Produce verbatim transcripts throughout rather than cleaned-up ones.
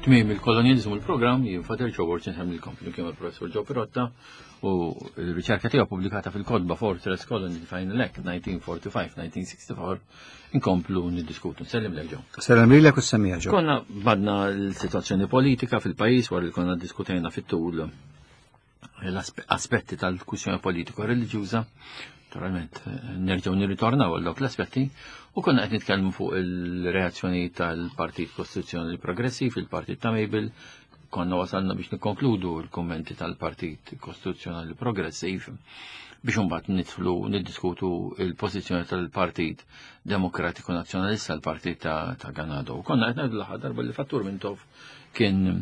Tmiem il-kolonjalizmu l-programm jien Father Joe Borg insellmilkom flimkien mal-Professor Joe Pirotta u l-riċerka tiegħu pubblikata fil-kotba Fortress Colony Final Act nineteen forty-five nineteen sixty-four inkomplu niddiskutu. Nsellimlek, Joe. Sellem lilek u s-semmiegħa, Joe. Konna badna l-situazzjoni politika fil-pajjiż wara li konna diskutejna fit-tul l-aspetti tal-kwistjoni politiko reliġjuża. Naturalment, nerġgħu nirritornaw għal dawk l-aspetti u konna qed nitkellmu fuq il-reazzjoni tal-Partit Kostituzzjonali Progressiv, il-Partit ta' Mabel, konna wasalna biex nikkonkludu l-kummenti tal-Partit Kostituzzjonali Progressiv biex imbagħad nidħlu niddiskutu il-pożizzjoni tal-Partit Demokratiku Nazzjonalista, l-Partit ta', ta Ganado. U konna qed ngħidu l-aħħar darba li fattur Mintoff kien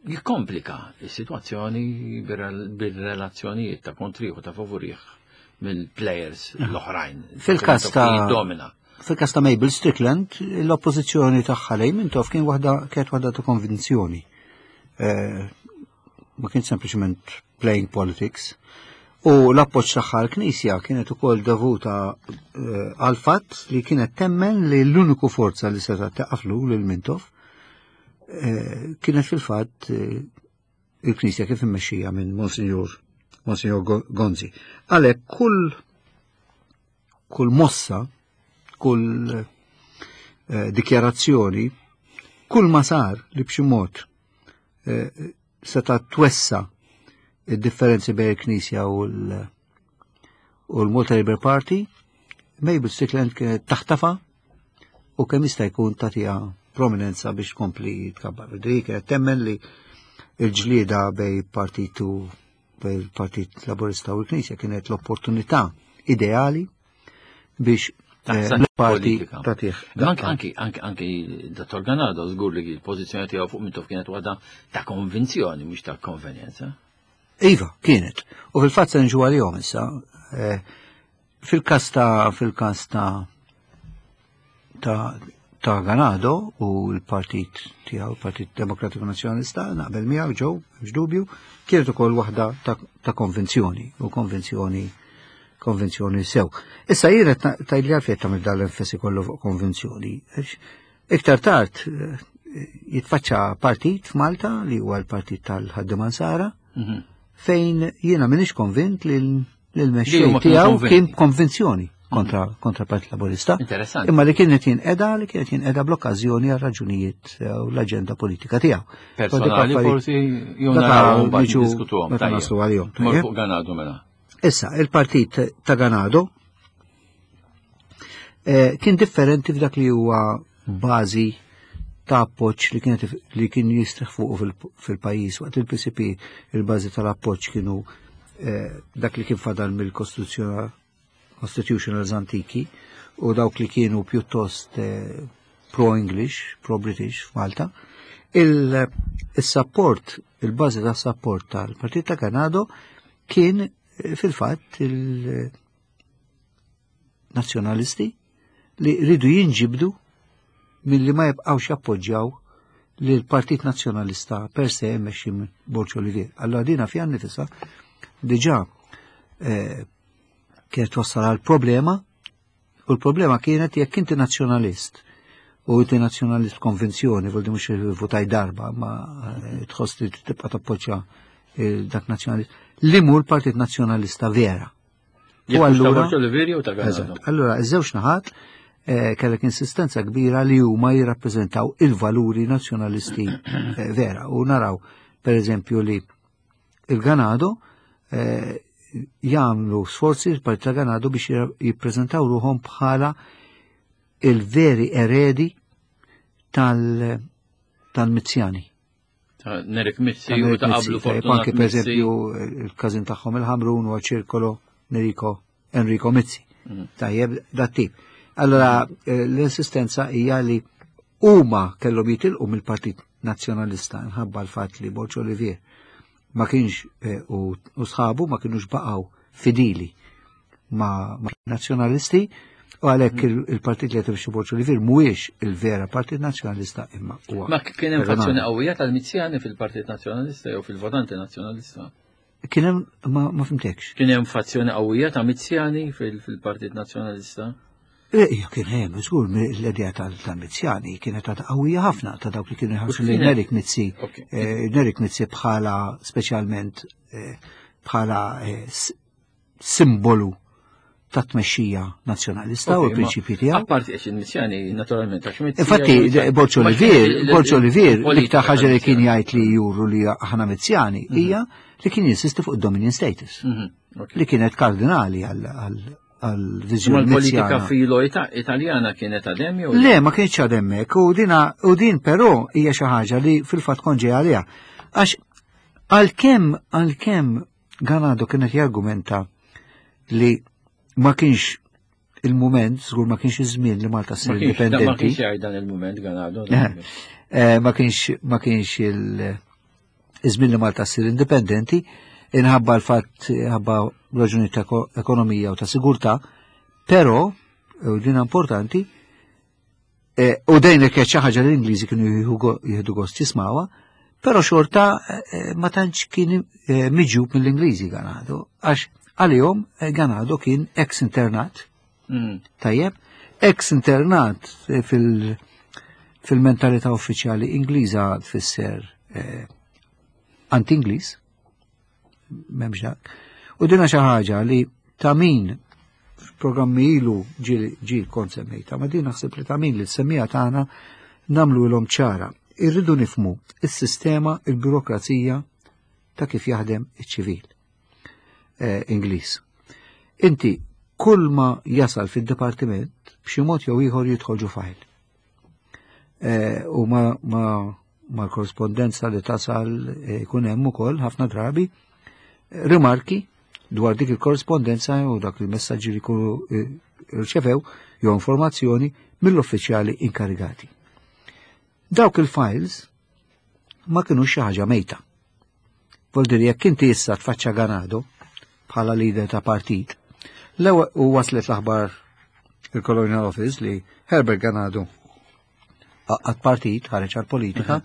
jikkomplika is-sitwazzjoni bir-relazzjonijiet ta' kontrih u ta' favorih mill-players l-oħrajn. Fil-kas ta' Domina. Fil-kas ta' Mabel Strickland, l-oppożizzjoni tagħha lejn Mintoff kien waħda kienet waħda ta' konvinzjoni. Eh, ma kien sempliċement playing politics. U l-appoġġ tagħha l-Knisja kienet ukoll dovuta eh, għal fatt li kienet temmen li l-uniku forza li seta' taqaflu lil Mintoff eh, kienet fil-fatt eh, il-Knisja kif immexxija minn Monsignor Monsignor Gonzi. Għalhekk kull kull mossa, kull eh, dikjarazzjoni, kull ma sar li b'xi mod eh, seta' twessa id-differenzi bejn il-Knisja u l- u l-Malta Labour Party, Mabel Strickland kienet taħtafa u kemm jista' jkun tagħtiha prominenza biex tkompli tkabbar. Dik kienet temmen li il-ġlieda bejn partitu bejn il-Partit Laburista u l-Knisja kienet l-opportunità ideali biex eh, Taħseb l-parti politika. tagħtih. Anki, anki, anki, anki Dottor Ganado, żgur li l-pożizzjoni tiegħu fuq Mintoff kienet waħda ta' konvinzjoni, mhux ta' konvenjenza. Iva, kienet. U fil-fatt se nġu għalihom issa. eh, Fil-kas ta' fil-kas ta' ta' ta' Ganado u l-partit tiegħu, il-Partit Demokratiku Nazzjonalista, naqbel miegħu Joe, mhux dubju, kienet ukoll waħda ta', ta' konvinzjoni u konvinzjoni konvenzjoni sew. Issa jiena tgħidli għalfejn tagħmel dan l-enfasi kollu fuq konvenzjoni. Għax iktar tard eh, jitfaċċa partit f'Malta li huwa l-partit tal-Ħaddiema Nsara, Mhm. fejn jiena m'iniex konvint li Li l-mexxej huma kienu tiegħu konvinti. kien konvinzjoni kontra kontra Partit Laburista. Interessanti. Imma li kienet jinqeda li kienet jinqeda bl-okkażjoni għal raġunijiet eh, u l-aġenda politika tiegħu. Personali forsi jew Dak naraw mbagħad niġu niddiskutuhom. meta Tajjeb. naslu għalihom. Mor Tajjeb? fuq Ganado mela. Issa, il-partit ta' Ganado eh, kien differenti f'dak li huwa bażi ta' appoġġ li kienet li kien jistrieħ fuqu fil- fil-pajjiż waqt il-P C P il-bażi tal-appoġġ kienu eh, dak li kien fadal mill-Kostituzzjoni Constitutionals antiki u dawk li kienu pjuttost eh, pro-English, pro-British f'Malta. Il-support, il-bażi ta' support tal-Partit ta' Ganado kien eh, fil-fatt il-nazzjonalisti li ridu jinġibdu milli ma jibqawx jappoġġjaw li l-Partit Nazzjonalista per se mmexxi minn Borg Olivier. Allora dina fiha nnifisha diġà eh, kienet wassal għal problema u l-problema kienet jekk inti nazzjonalist u inti nazzjonalist konvinzjoni, vuol mhux votaj darba, ma eh, tħoss li tibqa' tappoġġja eh, dak nazzjonalist, li mhu l-Partit Nazzjonalista vera. Jekk U mhux ta' allura- Borg Olivier jew ta' Ganado. Eżatt. Allora, iż-żewġ naħat eh, kellek insistenza kbira li huma jirrappreżentaw il-valuri nazzjonalisti eh, vera. U naraw, per eżempju, li il-Ganado eh, jagħmlu sforzi il-Partit ta' Ganado biex jira- jippreżentaw ruħhom bħala il-veri eredi tal- tal-Mizzjani. Ta' Nerik Mizzi u ta' qablu Tajjeb, Fortunat anki per Mizzi. eżempju il-każin tagħhom il-Ħamrun u ċirkolo Enrico Enrico Mizzi. Mm. Tajjeb, dat tip. Allora, eh, l-insistenza hija li huma kellhom jitilqu mill-Partit Nazzjonalista nħabba l-fatt li Borg Olivier ma kienx eh, u u sħabu ma kienux baqgħu fidili ma, ma nazzjonalisti u għalhekk il- il-partit li qed Borg Olivier mhuwiex il-vera Partit Nazzjonalista imma huwa. Ma kien hemm Ganado. fazzjoni qawwija tal-Mizzjani fil-Partit Nazzjonalista jew fil-Votanti Nazzjonalista. Kien hemm ma, ma fhimtekx. Kien hemm fazzjoni qawwija ta' Mizzjani fil- fil-Partit Nazzjonalista. Ija kien hemm, żgur l-idea tal-Mizzjani kienet ta' qawwija ħafna ta' dawk li kienu jħarsu lejn Nerik Mizzi. Nerik Mizzi bħala speċjalment bħala simbolu ta' tmexxija nazzjonalista u l-prinċipji tiegħu. Apparti għax il-Mizzjani naturalment għax Mizzi. Infatti Borg Olivier, Borg Olivier l-iktar ħaġa li kien jgħid li juru li aħna Mizzjani hija li kien jinsisti fuq id-dominion status. Li kienet kardinali għal għal-viżjoni. Il-politika filo italjana kienet għadem jew? Le, ma kienx għademmek, u dina u din però hija xi ħaġa li fil-fatt kont ġej għaliha. Għax għalkemm għalkemm Ganado kienet jargumenta li ma kienx il-moment, żgur ma kienx iż-żmien li Malta ssir indipendenti. Ma kienx jgħid dan il-moment Ganado. Ma kienx ma kienx il-żmien li Malta ssir indipendenti, inħabba l-fatt ħabba raġuni ta' ekonomija u ta' sigurtà, però, u din importanti, u dejn kienet xi ħaġa li l-Ingliżi kienu jieħdu gost jismawha, però xorta ma tantx kien miġjub mill-Ingliżi Ganado, għax għalihom Ganado kien ex-internat. Tajjeb, ex-internat fil-mentalità uffiċjali Ingliża tfisser anti-Ingliż, m'hemmx dak. U dina xi ħaġa li ta' min f'programmi ilu ġil kont semmejta, ma din naħseb li ta' min li s-semmija tagħna nagħmlu lhom ċara. Irridu nifmu is-sistema, il-burokrazija ta' kif jaħdem iċ-ċivil Ingliż. Inti kull ma jasal fid-dipartiment b'xi mod jew ieħor jidħol ġo file. U ma ma korrespondenza li tasal jkun hemm ukoll ħafna drabi rimarki dwar dik il-korrespondenza u dak il-messaġġi li jkunu rċevew jew informazzjoni mill-uffiċjali inkarigati. Dawk il-files ma kienu xi ħaġa mejta. Vuol dire jekk inti issa tfaċċa Ganado bħala leader ta' partit, l-ewwel u waslet l-aħbar il-Colonial Office li Herbert Ganado għad partit ħareġ għal-politika,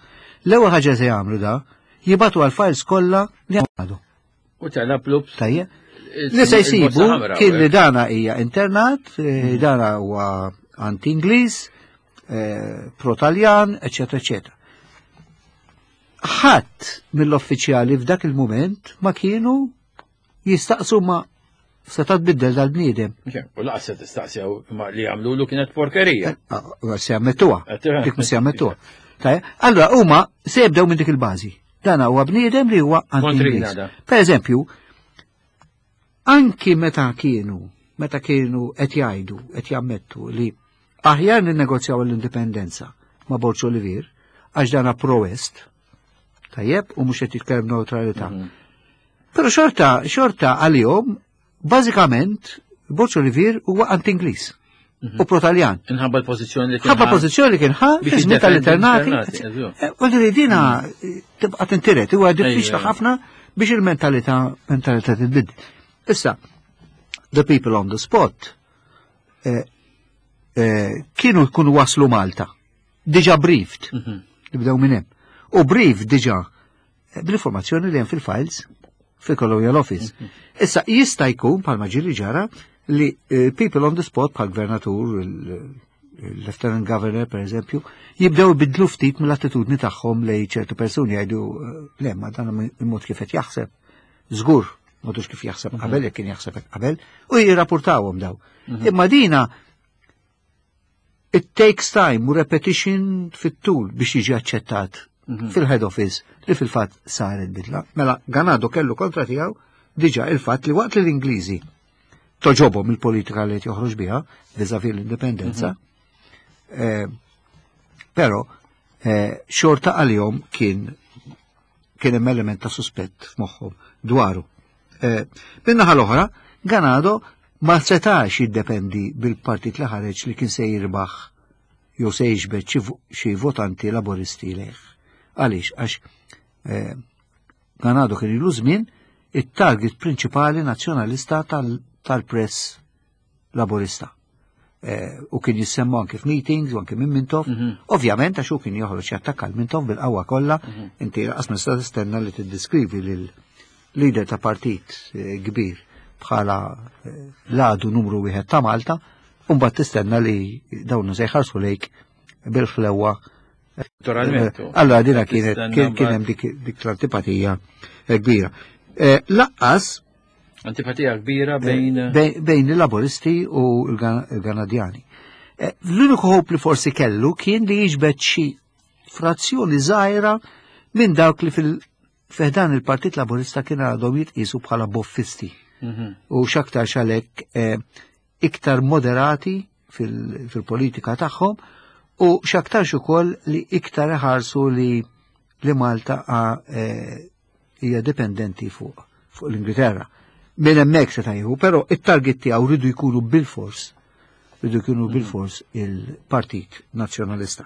l-ewwel ħaġa se jagħmlu da jibatu għal-files kollha li għadu. U tela plups. Tajjeb. Li se jsibu kien li dana hija internat, dana huwa anti-Ingliż, pro-Taljan, eċetera, eċetera. Ħadd mill-uffiċjali f'dak il-moment ma kienu jistaqsu ma se tbiddel dal-bniedem. U laqas se tistaqsew ma li għamlu kienet porkerija. Se jammettuha. Dik se jammettuha. Allora huma se jibdew minn dik il-bażi. Dan huwa bniedem li huwa anti-Ingliż. Per eżempju, anki meta kienu, meta kienu qed jgħidu, qed jammettu li aħjar ninnegozjaw l-indipendenza ma' Borg Olivier, għax dana pro-West, tajjeb, u mhux qed jitkellem neutralità. Però xorta, xorta għalihom, bażikament, Borg Olivier huwa anti-Ingliż u pro-Taljan. Inħabba l-pożizzjoni li kien. Ħabba pożizzjoni li kien ħa, fi tal-internati. Vuol dire dina tibqa' tintiret, huwa diffiċli ħafna biex il-mentalità mentalità titbiddel. Issa, the people on the spot kienu jkunu waslu Malta, diġà briefed, nibdew minn hemm. U briefed diġà bl-informazzjoni li hemm fil-files fil-Colonial Office. Issa jista' jkun bħalma ġieli ġara li people on the spot bħal gvernatur, il-Lieutenant Governor per eżempju, jibdew bidlu ftit mill-attitudni tagħhom lejn ċertu persuni jgħidu le ma dan il-mod kif qed jaħseb. Żgur, modux kif jaħseb qabel, jekk kien jaħseb qabel, u jirrapportawhom daw. Imma dina it takes time u repetition fit-tul biex jiġi aċċettat fil-head office li fil-fatt saret bidla. Mela Ganado kellu kontra tiegħu diġà il-fatt li waqt li l-Ingliżi toġobhom il-politika li qed joħroġ biha vis-à-vis l-indipendenza, però xorta għalihom kien kien hemm element ta' suspett f'moħħhom dwaru. Min-naħa l-oħra, Ganado ma setax jiddependi bil-partit li ħareġ li kien se jirbaħ jew se jiġbed xi votanti laboristi lejh. Għaliex, għax Ganado kien ilu żmien it-target prinċipali nazzjonalista tal-press laborista. U kien jissemmu anke f'meetings u anke minn Mintoff. Ovvjament għax hu kien joħroġ jattakka l-Mintoff bil-qawwa kollha, inti lanqas ma tista' tistenna li tiddeskrivi lil leader ta' partit kbir bħala l-għadu numru wieħed ta' Malta u U mbagħad tistenna li dawn se jħarsu lejk bil-ħlewa. Naturalment. Allora dina kienet kien hemm dik l-antipatija kbira. Laqqas antipatija kbira bejn bejn il-Laboristi u l-Ganadjani. L-uniku hope li forsi kellu kien li jiġbed xi frazzjoni żgħira minn dawk li fil-ħdan il-Partit Laburista kien għadhom jitqisu bħala boffisti. U x'aktar xalek iktar moderati fil-politika tagħhom u x'aktarx ukoll li iktar iħarsu li li Malta hija dipendenti fuq fuq l-Ingilterra. Minn hemmhekk se tajħu, però it-target tiegħu rridu jkunu bil-fors, rridu jkunu bil-fors il-Partit Nazzjonalista.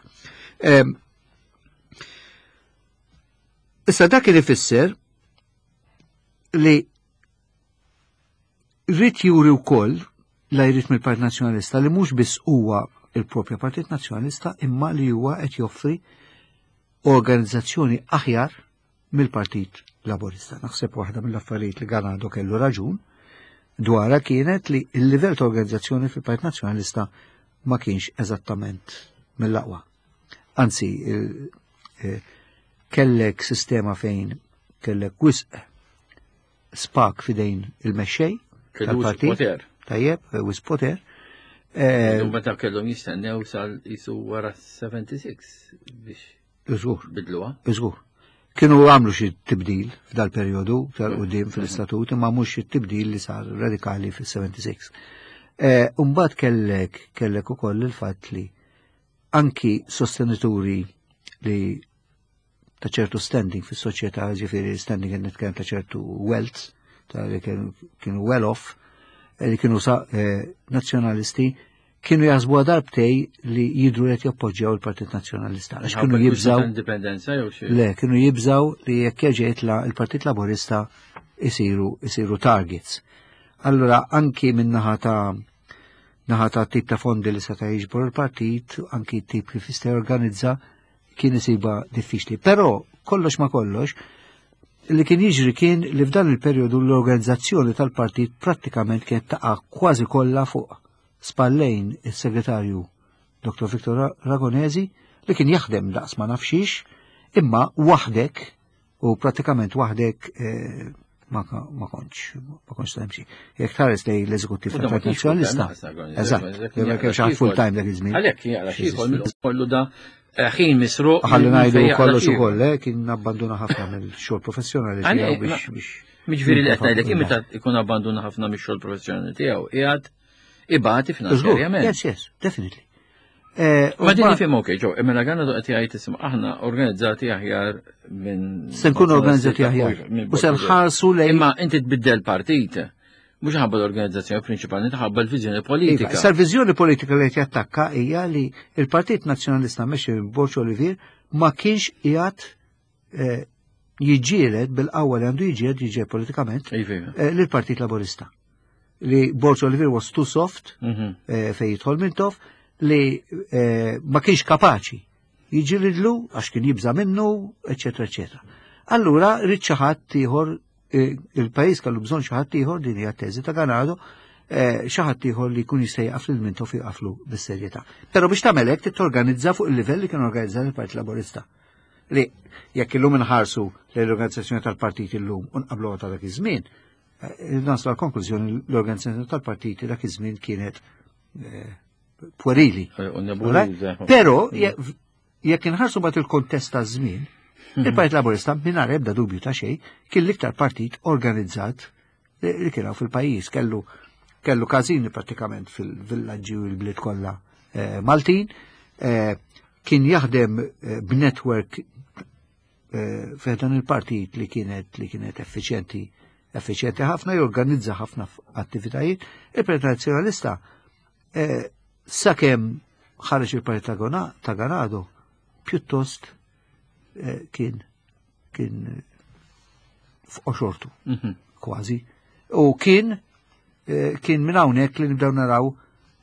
Issa dak li ifisser li rrid juri wkoll la jrid mill-Partit Nazzjonalista li mhux biss huwa il-propja Partit Nazzjonalista imma li huwa qed joffri organizzazzjoni aħjar mill-Partit Laburista. Naħseb waħda mill-affarijiet li Ganado kellu raġun dwarha kienet li l-livell ta' organizzazzjoni fil-Partit Nazzjonalista ma kienx eżattament mill-aqwa. Anzi, kellek sistema fejn kellek wisq spak fidejn il-mexxej tal-partit. Tajjeb, wisq poter. Meta kellhom jistennew sal jisu wara sebgħa u sebgħin biex Iżgur. bidluha. Iżgur. Kienu għamlu xi tibdil f'dal perjodu tal-qudiem fil-istatut, imma mhux xi tibdil li sar radikali fis-sebgħa u sebgħin. Imbagħad kellek kellek ukoll il-fatt li anki sostenituri li ta' ċertu standing fis-soċjetà, ġifieri standing qed nitkellem ta' ċertu wealth, ta' li kienu well off, li kienu sa nazzjonalisti, kienu jaħsbu darbtej li jidru qed jappoġġjaw il-Partit Nazzjonalista. Għax kienu jibżaw indipendenza jew xi? Le, kienu jibżaw li jekk jerġa' jitla' il-Partit Laburista isiru isiru targets. Allura anki minn naħa ta' naħa ta' tip ta' fondi li seta' jiġbor il-partit, anki tip kif jista' jorganizza, kien isiba diffiċli. Però kollox ma kollox, li kien jiġri kien li f'dan il-perjodu l-organizzazzjoni tal-partit prattikament kienet taqa' kważi kollha fuq spallejn is-segretarju Doktor Victor Ragonesi li kien jaħdem daqs ma nafxiex, imma waħdek u pratikament waħdek ma kontx ma kontx temxi. Jekk tħares lej l-eżekuttiv tal-Partit Nazzjonalista. Eżatt, jekk kienx ħadd full time dak iż-żmien. Għalhekk jaqra xi jkoll kollu da ħin misruq. Ħalli ngħidu kollox ukoll, kien abbanduna ħafna mill-xogħol professjonali tiegħu biex biex. Miġifieri li qed ngħidlek meta ikun abbanduna ħafna mix-xogħol professjonali tiegħu qiegħed ibati finanzjarjament. Yes, yes, definitely. Ma din nifhem okej, ġo, imma Ganado qed jgħid isma' aħna organizzati aħjar minn Se nkunu organizzati aħjar. U se nħarsu lejn. Imma inti tbiddel partit. Mhux ħabba l-organizzazzjoni prinċipali, ħabba l-viżjoni politika. Issa l-viżjoni politika li qed jattakka hija li l-Partit Nazzjonalista mexxi minn Borg Olivier ma kienx qiegħed jiġġieled bil-qawwa li għandu jiġġieled jiġġieled politikament lill-Partit Laburista. Li Borg Olivier was too soft fejn jidħol Mintoff, li ma kienx kapaċi jiġġielidlu għax kien jibża' minnu, eċetera, eċetera. Allura rrid xi ħadd ieħor, il-pajjiż kellu bżonn xi ħadd ieħor, din hija teżi ta' Ganado, xi ħadd ieħor li jkun jista' jaqaf lil Mintoff jaqaflu bis-serjetà. Però biex tagħmel hekk trid torganizza fuq il-livell li kien organizzat il-Partit Laburista. Li jekk illum inħarsu l-organizzazzjoni tal-partit illum u nqablu ta' dak iż-żmien, naslu għal konklużjoni l-organizzazzjoni tal-partiti dak iż-żmien kienet puerili. Però jekk inħarsu bat il-kontest ta' żmien, il-Partit Laburista mingħajr ebda dubju ta' xejn kien l-iktar partit organizzat li kien hawn fil-pajjiż, kellu kellu każini prattikament fil-villaġġi u l-bliet kollha Maltin, kien jaħdem b'network fejn il-partit li kienet li kienet effiċjenti effiċjenti ħafna, jorganizza ħafna attivitajiet. Il-Partit Nazzjonalista sakemm ħareġ il-Partit ta' Ganado pjuttost kien kien f'qoxortu kważi. U kien kien minn hawnhekk li nibdew naraw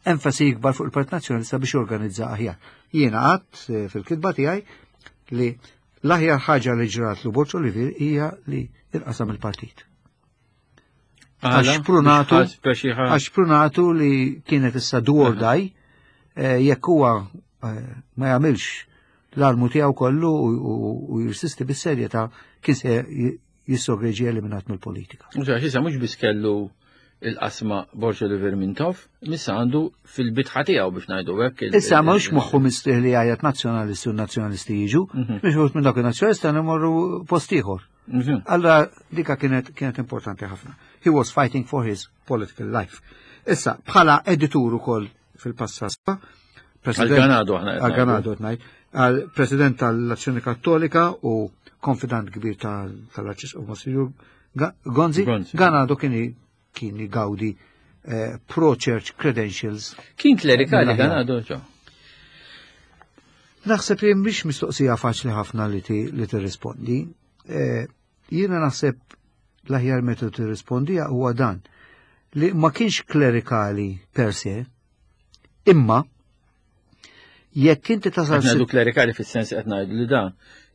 enfasi ikbar fuq il-Partit Nazzjonalista biex jorganizza aħjar. Jiena qatt fil-kitba tiegħi li l-aħjar ħaġa li ġratlu Borg Olivier hija li inqasam il-partit. Għax prunatu, għax prunatu li kienet issa do or die, jekk huwa ma jagħmilx l-almu tiegħu kollu u jirsisti bis-serjetà kien se jissogreġi eliminat mill-politika. Mhux issa mhux biss kellu il-qasma Borg Olivier Mintoff, missa għandu fil-bitħa tiegħu biex ngħidu hekk. Issa mhux moħħu mistrieħ li jgħajjat nazzjonalisti u nazzjonalisti jiġu, biex mhux minn dak in-nazzjonalista nimorru post ieħor. Allora dika kienet kienet importanti ħafna. He was fighting for his political life. Issa bħala editur ukoll fil-passat. Għal-Ganado aħna. Għal-Ganado ngħid. Għal-President tal-Azzjoni Kattolika u konfidant kbir tal-Arċisqof Monsignor Gonzi. Ganado kien kien gawdi pro-church credentials. Kien klerikali Ganado ġo? Naħseb li mhix mistoqsija faċli ħafna li tirrispondi. Jiena naħseb l-aħjar metodu tirrispondi huwa dan li ma kienx klerikali per se, imma jekk inti tasal. Qed ngħidu klerikali fis-sens qed ngħidu li da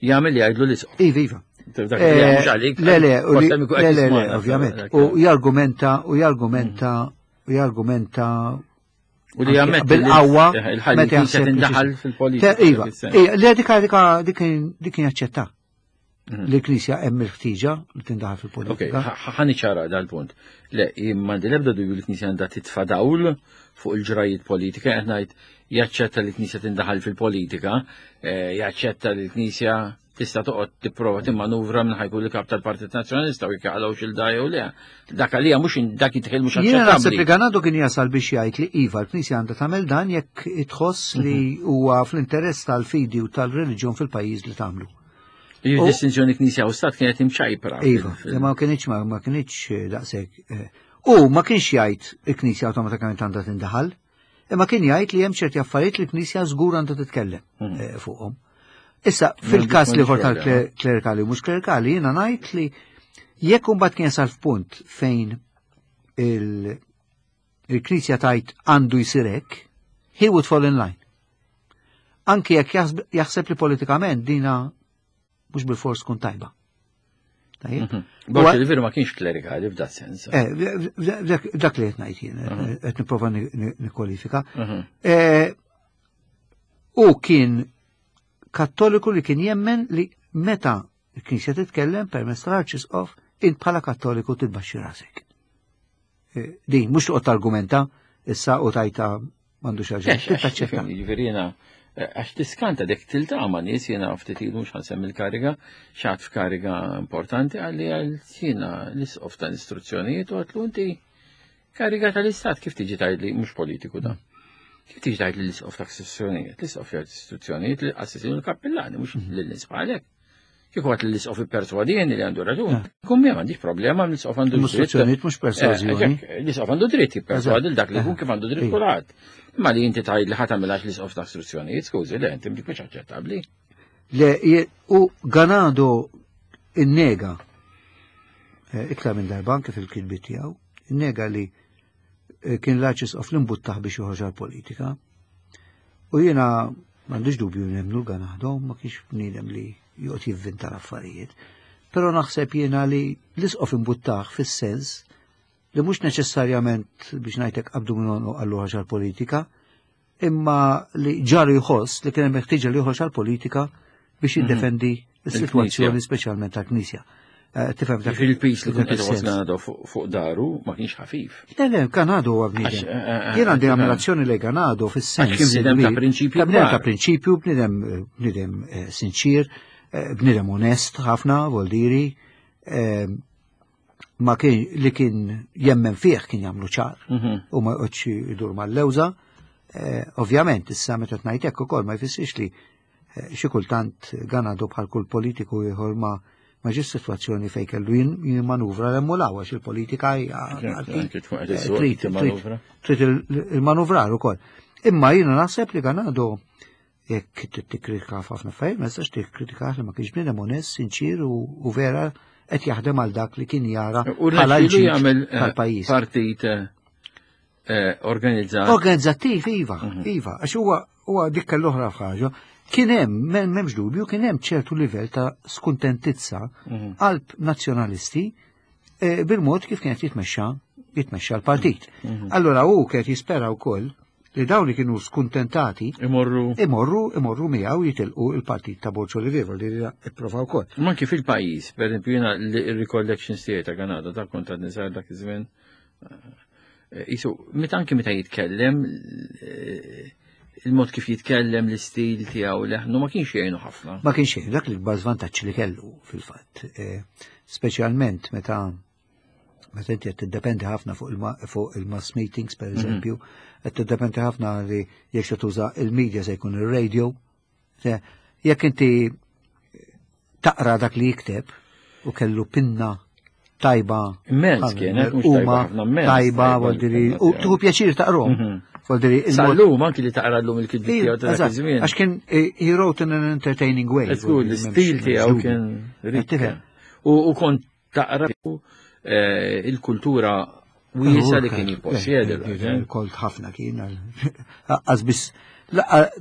jagħmel li jgħidlu l-isqof. Iva, iva. Le, le, le, le, ovvjament. U jargumenta, u jargumenta, u jargumenta U li jagħmel bil-qawwa meta tindaħal fil-politika. Iva, le dik dik dik kien jaċċetta. Li l-Knisja hemm il-ħtiġa li tindaħal fil-politika. Ok, ħa niċċara dal-punt. Le, m'għandi l-ebda dubju li l-Knisja għandha titfa' dawl fuq il-ġrajiet politika, qed ngħid jaċċetta li l-Knisja tindaħal fil-politika, jaċċetta li l-Knisja tista' toqgħod tipprova timmanuvra minn ħajkun il-kap tal-Partit Nazzjonalista u jekk jaqalgħux il-da jew le. Dak għalija mhux dak jitħil mhux aċċettabbli. Jiena naħseb li Ganado kien jasal biex jgħid li iva l-Knisja għandha tagħmel dan jekk tħoss li huwa fl-interess tal-fidi u tal-reliġjon fil-pajjiż li tagħmlu. Il-distinzjoni Knisja u Stat kienet imċajpra. Iva, ma kienx ma kienx daqshekk. U ma kienx jgħid il-Knisja awtomatikament għandha tindaħal, imma kien jgħid li hemm ċerti affarijiet li l-Knisja żgur għandha titkellem fuqhom. Issa, fil-kas li ħor tal-klerikali u mhux klerikali, jiena ngħid li jekk imbagħad kien jasal f'punt fejn il-Knisja tajt għandu jsir hekk, he would fall in line. Anki jekk jaħseb li politikament dina mhux bil-fors tkun tajba. Borg Olivier ma kienx klerikali f'dak sens. Dak li qed ngħid jien, qed nipprova nikkwalifika. U kien kattoliku li kien jemmen li meta l-Knisja titkellem permezz tal-Arċisqof, int bħala kattoliku titbaxxi rasek. Din mhux toqgħod targumenta issa u tajta m'għandux raġun. Taċċetta. Jiġifieri jiena għax tiskanta dik tiltaqa' ma' nies jiena ftit ilu mhux ħansemmi l-kariga, x'għad f'kariga importanti għalli għal jiena l-isqof tal-istruzzjonijiet u għatlu inti kariga tal-istat kif tiġi tgħidli mhux politiku da. Kif tiġi tgħid li l-isqof ta' istruzzjonijiet, l-isqof jgħid istruzzjonijiet li qassisin u l-kappillani mhux lil-nies bħalek. Kieku għat l-isqof ipperswadini li għandu raġun. Kun mi m'għandix problema l-isqof għandu dritt. Istruzzjonijiet mhux persważjoni. L-isqof għandu dritt jipperswadi dak li jkun kif għandu dritt kulħadd. Imma li inti tgħid li ħadd għamilhax l-isqof ta' istruzzjonijiet, skużi, le inti mhux aċċettabbli. Le, u Ganado innega iktar minn darba anke fil-kitbiet tiegħu, innega li kien l-Arċisqof li mbuttaħ biex joħroġ għall-politika. U jiena m'għandix dubju nemmnu l-Ganado, ma kienx bniedem li joqgħod jivvinta l-affarijiet. Però naħseb jiena li l-isqof imbuttaħ fis-sens li mhux neċessarjament biex ngħidlek qabdu minn għallu ħaġa l-politika, imma li ġaru jħoss li kien hemm ħtieġa li joħroġ għall-politika biex jiddefendi s-sitwazzjoni speċjalment tal-Knisja. Tifhem dak il-pis li kien qed Ganado fuq daru ma kienx ħafif. Le, le, Ganado huwa bniedem. Jien għandi ammirazzjoni lejn Ganado fis-sens. Kien bniedem ta' prinċipju. Bniedem ta' prinċipju, bniedem bniedem sinċir, bniedem onest ħafna, voldiri, ma kien li kien jemmen fih kien jagħmlu ċar u ma joqgħodx idur mal-lewża. Ovvjament, issa meta ngħid hekk ukoll ma jfissirx li xi kultant Ganado bħal kull politiku ieħor ma ma ġiet sitwazzjoni fejn kellu jimmanuvra l-emmulaw għax il-politika hija trid il-manuvrar ukoll. Imma jiena naħseb li Ganado jekk tikkritika ħafna affarijiet, ma tistax tikkritika li ma kienx bniedem onest, sinċir u vera qed jaħdem għal dak li kien jara bħala l-ġid tal-pajjiż. Partit organizzat. Organizzattiv, iva, iva, għax huwa huwa dik l-oħra ħaġa. Kien hemm, m'hemmx dubju, kien hemm ċertu livell ta' skuntentizza qalb nazzjonalisti eh, bil-mod kif kienet jitmexxa jitmexxa l-partit. Allora hu kien jispera wkoll li dawn li kienu skuntentati Imorru. imorru imorru miegħu jitilqu il-partit ta' Borg Olivier li ipprova wkoll. Ma anki fil-pajjiż, per esempio, jiena l-recollections tiegħi ta' Ganado, ta' kont għadni żgħir dak iż-żmien. eh, Isu, meta anki meta jitkellem, eh, il-mod kif jitkellem, l-istil tiegħu leħnu ma kienx jgħinu ħafna. Ma kienx xejn, dak l-ikbar żvantaġġ li kellu fil-fatt. Eh, Speċjalment meta meta inti qed tiddependi ħafna fuq il- fuq il-mass meetings per eżempju, qed tiddependi ħafna li jekk se tuża il-media se jkun ir-radio. Se- Jekk inti taqra dak li jikteb u kellu pinna tajba Immens kienet, mhux tajba huma ħafna, immens tajba, tajba voldiri, l-pinna u tiegħu. tieħu pjaċir taqrom. Mhm. Voldiri, il-mod- Sal-lum anki li taqra llum il-kitbiet tiegħu ta' dak Eżatt, iż-żmien. Għax kien eh, he wrote in an entertaining way. Żgur, l-istil tiegħu kien rikk. Tifhem. U u kont taqra eh, il-kultura wiesgħa li kien jipposjedi. Kolt ħafna kien. Għax biss,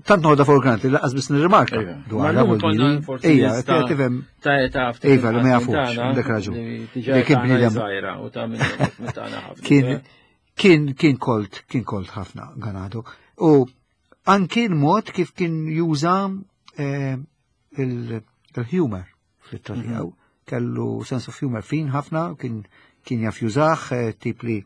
tant noħodha for granted, lanqas biss nirrimarka. Ma llum konna forsi Ejja, nista' tifhem. Ta' ta' ftit Iva, li ma inqas jafux, minn tagħna, għandek raġun. li diġà Li kien tagħna bniedem- żgħira u ta' minn minn tagħna ħafna. Kien kien kien kolt, kien kolt ħafna Ganado. U anki l-mod kif kien juża eh, il- il-humor fl-ittra Mhm. tiegħu. Kellu sense of humor fin ħafna, kien kien jaf jużah, eh, tip li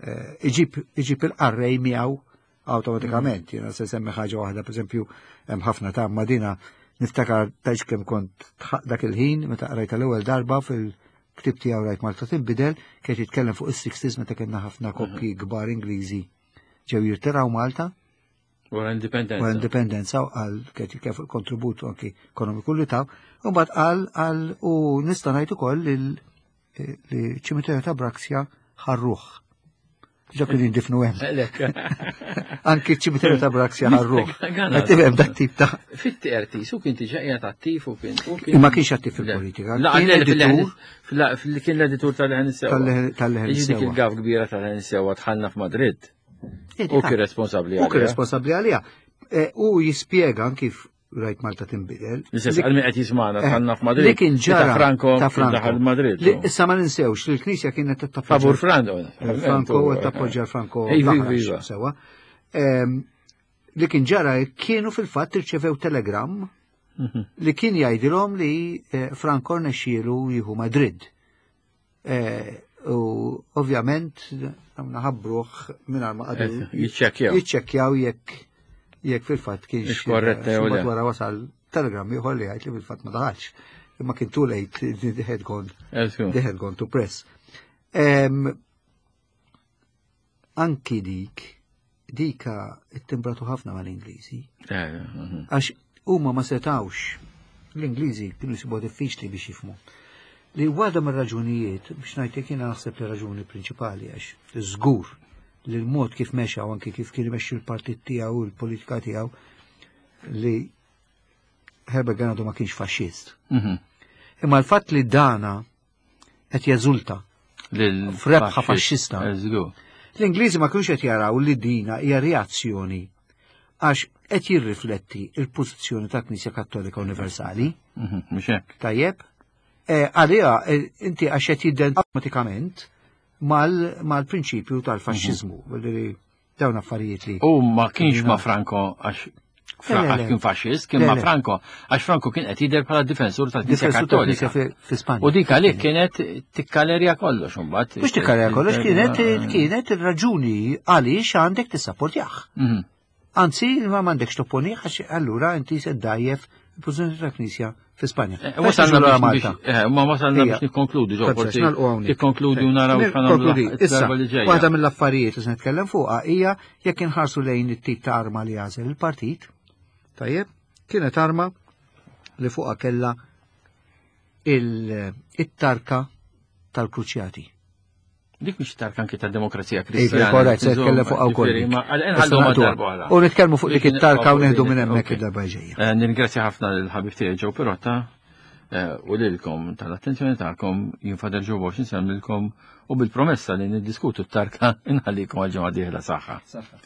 eh, iġib iġib il-qarrej miegħu awtomatikament. Jiena se semmi ħaġa waħda, per eżempju, hemm ħafna ta' madina niftakar taġ kemm kont tħaq dak il-ħin meta qrajta l-ewwel darba fil-ktib tiegħu Rajt Malta Tinbidel, kien jitkellem fuq is-sixties meta kellna ħafna koppji kbar Ingliżi ġew jirtiraw Malta Wara indipendenza. wara indipendenza u qal kien jitkellem fuq il-kontribut anki ekonomiku li taw, u mbagħad qal qal u nista' ngħid ukoll li li ċimiterju ta' Braxia ħarruh. Ġa kien jindifnu hemm. Lek. Anki ċimiterju ta' Braxia ħarruh. Ganado. Qed tifhem dak tip ta' Fit-T R T, su kien diġà qiegħed attiv u kien. u kien- Imma kienx attiv fil-politika. La, Kien le, editur fil- fil- kien l-editur tal-Leħen Is-Sewwa. Tal-Leħen- tal-Leħen Jiġi dik Is-Sewwa. il-gaffe kbira tal-Leħen Is-Sewwa dħalna f'Madrid. U kien responsabbli U kien għaliha. responsabbli għaliha. Eh, U jispjega kif Rajt Malta Tinbidel. L-istess għal min qed jismagħna Eh, dħalna f'Madrid. Li kien ġara Ta' Franco ta' Franco. daħal Madrid. Li issa ma ninsewx li l-Knisja kienet tappoġġa Favur Franco. Franco u tappoġġa Franco Iva, l-aħrax, iva. sewa. Em, Li kien ġara kienu fil-fatt irċevew telegram Mhm. li kien jgħidilhom li eh, Franco rnexxielu jieħu Madrid. Eh, U ovvjament għamna ħabbruh mingħajr ma qagħdu Eh, jiċċekkjaw. jiċċekkjaw jekk jekk fil-fatt kienx Ix korretta jew le. Mbagħad wara wasal telegram ieħor li jgħid li fil-fatt ma daħalx. Imma kien too late, they had gone, Eżgu. they had gone to press. Em, Anki dik, dika ittimbratu ħafna mal-Ingliżi. Eh, mhm. Għax huma ma setawx, l-Ingliżi kienu jsibu diffiċli biex jifhmu. Li waħda mir-raġunijiet, biex ngħidlek jiena naħseb li raġuni prinċipali għax żgur li l-mod kif mexa u anki kif kien imexxi l-partit tiegħu u l-politika tiegħu li Herbert Ganado ma kienx faxxist. Mhm. Imma l-fatt li dana qed jeżulta Lil F'rebħa faxxista. Eżgu. L-Ingliżi ma kienux qed jaraw li dina hija reazzjoni għax qed jirrifletti il-pożizzjoni ta' Knisja Kattolika Universali. Mhm, Mhux hekk. Tajjeb, Eh, għalija eh, inti għax qed jidden automatikament mal-prinċipju tal-faxxiżmu. Vuol dawn affarijiet li. U ma kienx ma Franco għax Le, le, le. għax kien faxxist, kien Le, ma le. Franco, għax Franco kien qed jidher bħala difensur tal-Knisja Difensur tal-Knisja Kattolika. fi fi Spanja. U dik għalik kienet tikkalerja kollox imbagħad. Mhux tikkalerja kollox, kienet kienet ir-raġuni għaliex għandek tissapportjah. Mhm. Anzi, ma m'għandekx topponih għax allura inti se ddajjef il-pożizzjoni tal-Knisja fi Spanja. Eh, Wasalna Lura biex Malta. biex- eh, ma wasalna Ejja. biex nikkonkludu ġo Tajb, forsi nagħlqu hawnhekk. tikkonkludi u naraw Eh, x'ħa nagħmlu Konkludi. Issa, darba li ġejja. waħda mill-affarijiet li se nitkellem fuqha hija jekk inħarsu lejn it-tip ta' arma li għażel il-partit. Tajjeb, kienet arma li fuqha kellha il-tarka tal-kruċjati. Dik mhix tarka anki tad-demokrazija Iva, kristjana. korrett, se nitkellem fuqha wkoll. Ġifieri, ma għal- Issa nħallu ma naqduha. darba oħra. U nitkellmu fuq dik Dik it-tarka u nibqgħu neħdu minn hemmhekk ok. id-darba ġejja. Eh, Nirringrazzja ħafna lill-ħabib tiegħi Joe Pirotta eh, u lilkom tal-attenzjoni tagħkom. Jien Father Joe Borg insellmilkom u bil-promessa li niddiskutu t-tarka inħallikom għal ġimgħa dieħla. Saħħa. Saħħa.